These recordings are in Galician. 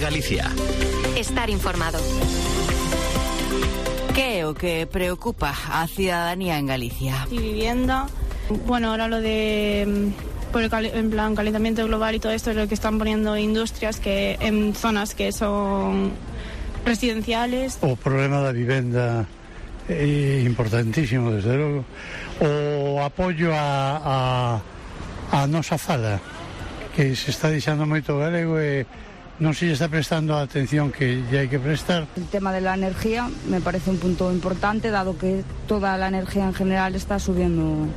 Galicia. Estar informado. Que é o que preocupa a ciudadanía en Galicia? Y vivienda. Bueno, ahora lo de por el en plan calentamiento global y todo esto es lo que están poniendo industrias que en zonas que son residenciales. O problema da vivenda é importantísimo, desde logo. O apoio a nosa fala, que se está deixando moito galego e non se lle está prestando a atención que lle hai que prestar. El tema de la energía me parece un punto importante, dado que toda la energía en general está subiendo.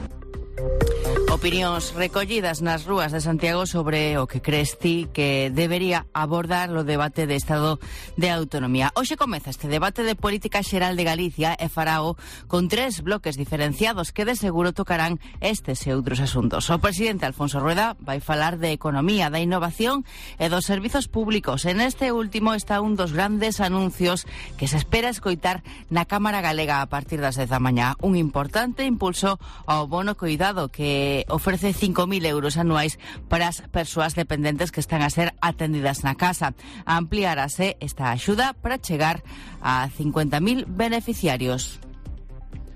Opinións recollidas nas rúas de Santiago sobre o que crees ti que debería abordar o debate de Estado de Autonomía. Hoxe comeza este debate de política xeral de Galicia e farao con 3 bloques diferenciados que de seguro tocarán estes e outros asuntos. O presidente Alfonso Rueda vai falar de economía, da innovación e dos servizos públicos. En este último está un dos grandes anuncios que se espera escoitar na Cámara Galega a partir das 10 da mañá. Un importante impulso ao bono cuidado que ofrece 5.000 euros anuais para as persoas dependentes que están a ser atendidas na casa. Ampliarase esta axuda para chegar a 50.000 beneficiarios.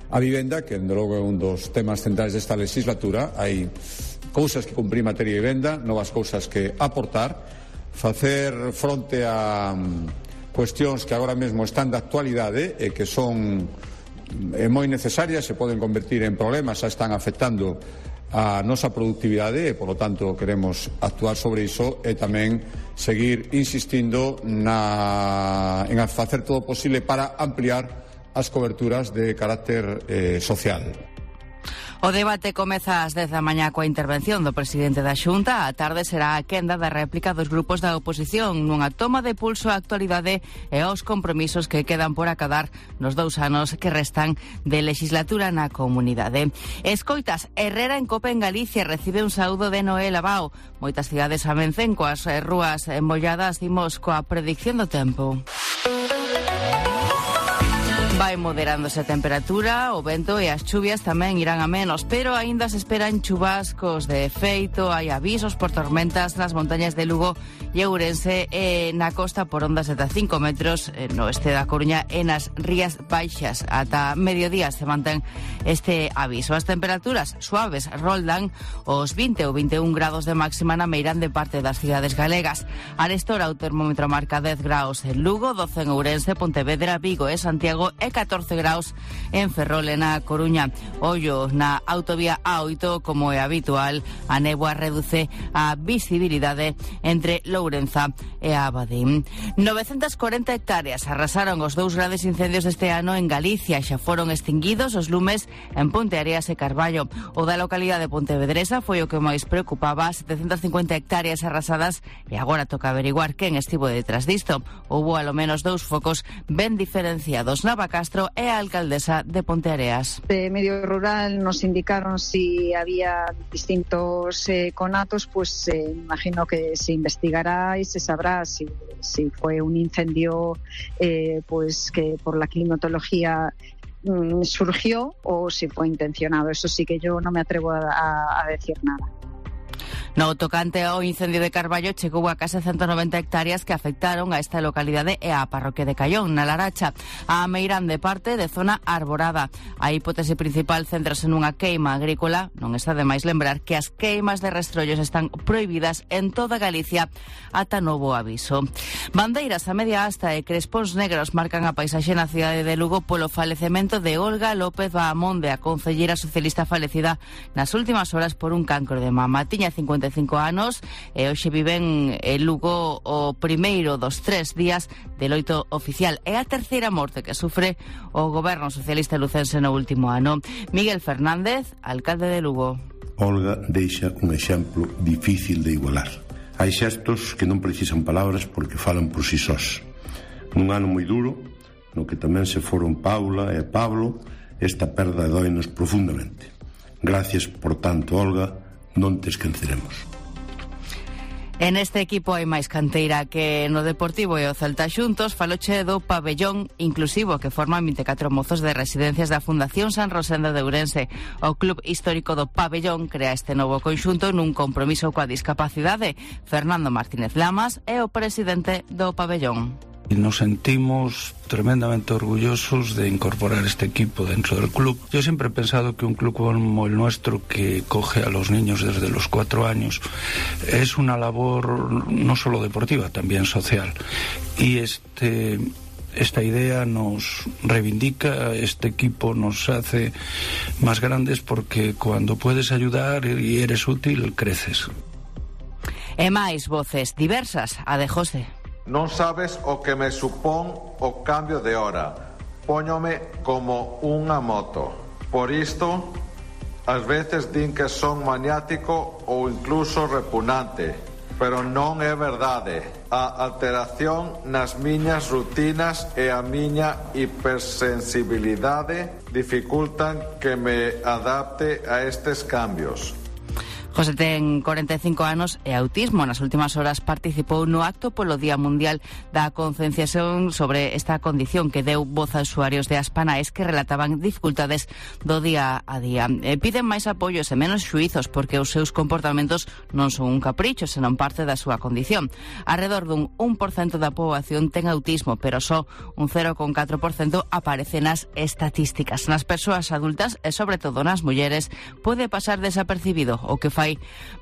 A vivenda, que de logo é un dos temas centrais desta legislatura, hai cousas que cumprir en materia de vivenda, novas cousas que aportar, facer fronte a cuestións que agora mesmo están de actualidade e que son moi necesarias, se poden convertir en problemas, xa están afectando a nosa productividade e, polo tanto, queremos actuar sobre iso e tamén seguir insistindo en facer todo o posible para ampliar as coberturas de carácter social. O debate comeza ás 10 da mañá coa intervención do presidente da Xunta. A tarde será a quenda da réplica dos grupos da oposición nunha toma de pulso á actualidade e aos compromisos que quedan por acadar nos 2 anos que restan de legislatura na comunidade. Escoitas, Herrera en Copa en Galicia recibe un saúdo de Noel Abao. Moitas cidades amencen coas rúas molladas, dimos coa predicción do tempo. Vai moderándose a temperatura, o vento e as chuvias tamén irán a menos, pero aínda se esperan chubascos de feito. Hai avisos por tormentas nas montañas de Lugo e Ourense e na costa por ondas de 5 metros no oeste da Coruña e nas rías baixas. Ata mediodía se mantén este aviso. As temperaturas suaves roldan os 20 ou 21 grados de máxima na meirande de parte das cidades galegas. Arestora o termómetro marca 10 graus en Lugo, 12 en Ourense, Pontevedra, Vigo e Santiago e 14 graus en Ferrol e na Coruña. Ollo na autovía A8, como é habitual, a néboa reduce a visibilidade entre Lourenza e Abadín. 940 hectáreas arrasaron os 2 grandes incendios deste ano en Galicia. Xa foron extinguidos os lumes en Ponteareas e Carballo. O da localidade de Pontevedresa foi o que máis preocupaba, 750 hectáreas arrasadas, e agora toca averiguar quen estivo detrás disto. Houbo alo menos 2 focos ben diferenciados. Nava Castro é a alcaldesa de Ponteareas. De Medio Rural nos indicaron si había distintos conatos, pues imagino que se investigará y se sabrá si fue un incendio pues que por la climatología surgió o si fue intencionado. Eso sí que yo no me atrevo a decir nada. No tocante ao incendio de Carballo, chegou a case 190 hectáreas que afectaron a esta localidade e á parroquia de Caión, na Laracha. A meirande parte de zona arborada. A hipótese principal céntrase nunha queima agrícola. Non está de máis lembrar que as queimas de restrollos están prohibidas en toda Galicia ata novo aviso. Bandeiras a media asta e crespóns negros marcan a paisaxe na cidade de Lugo polo falecemento de Olga López Bahamonde, a concelleira socialista falecida nas últimas horas por un cancro de mama. Tiña 55 anos e hoxe viven en Lugo o primeiro dos 3 días de loito oficial. É a terceira morte que sufre o goberno socialista lucense no último ano. Miguel Fernández, alcalde de Lugo. Olga deixa un exemplo difícil de igualar. Hai xestos que non precisan palabras porque falan por si sós. Nun ano moi duro, no que tamén se foron Paula e Pablo, esta perda doinos profundamente. Gracias, por tanto, Olga, non te esqueceremos. En este equipo hai máis canteira que no Deportivo e o Celta xuntos. Faloche do pabellón inclusivo que forman 24 mozos de residencias da Fundación San Rosendo de Ourense. O Club Histórico do Pabellón crea este novo conxunto nun compromiso coa discapacidade. Fernando Martínez Lamas é o presidente do pabellón. Nos sentimos tremendamente orgullosos de incorporar este equipo dentro del club. Yo siempre he pensado que un club como el nuestro, que coge a los niños desde los 4 años, es una labor no solo deportiva, también social. Y esta idea nos reivindica, este equipo nos hace más grandes, porque cuando puedes ayudar y eres útil, creces. E máis voces diversas, a de José. Non sabes o que me supón o cambio de hora. Póñome como unha moto. Por isto, ás veces din que son maniático ou incluso repugnante. Pero non é verdade. A alteración nas miñas rutinas e a miña hipersensibilidade dificultan que me adapte a estes cambios. José ten 45 anos e autismo. Nas últimas horas participou no acto polo Día Mundial da Concienciación sobre esta condición, que deu voz a usuarios de Aspanaes que relataban dificultades do día a día. Piden máis apoios e menos xuizos, porque os seus comportamentos non son un capricho, senón parte da súa condición. Arredor dun 1% da poboación ten autismo, pero só un 0,4% aparece nas estatísticas. Nas persoas adultas e sobre todo nas mulleres pode pasar desapercibido, o que fai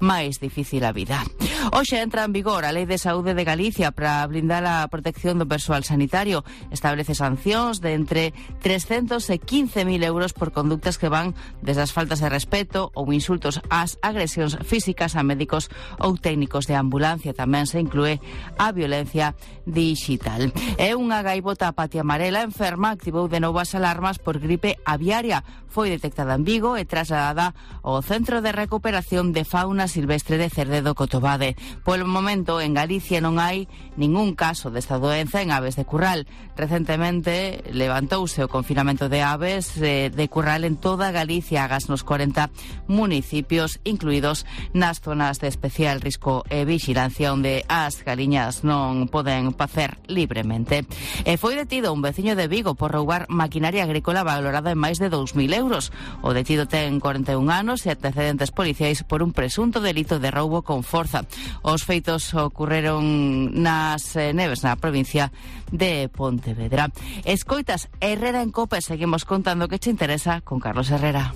máis difícil a vida. Hoxe entra en vigor a Lei de Saúde de Galicia para blindar a protección do persoal sanitario. Establece sancións de entre 300 e 15.000 euros por conductas que van desde as faltas de respeto ou insultos ás agresións físicas a médicos ou técnicos de ambulancia. Tamén se inclúe a violencia digital. É unha gaivota patia amarela enferma activou de novo as alarmas por gripe aviaria. Foi detectada en Vigo e trasladada ao Centro de Recuperación de Fauna Silvestre de Cerdedo Cotobade. Polo momento, en Galicia non hai ningún caso desta doenza en aves de curral. Recentemente levantouse o confinamento de aves de curral en toda Galicia, agás nos 40 municipios, incluídos nas zonas de especial risco e vigilancia, onde as galiñas non poden pacer libremente. E foi detido un veciño de Vigo por roubar maquinaria agrícola valorada en máis de 2.000 euros. O detido ten 41 anos e antecedentes policiais por un presunto delito de roubo con forza. Os feitos ocorreron nas Neves, na provincia de Pontevedra. Escoitas Herrera en Cope, seguimos contando que che interesa con Carlos Herrera.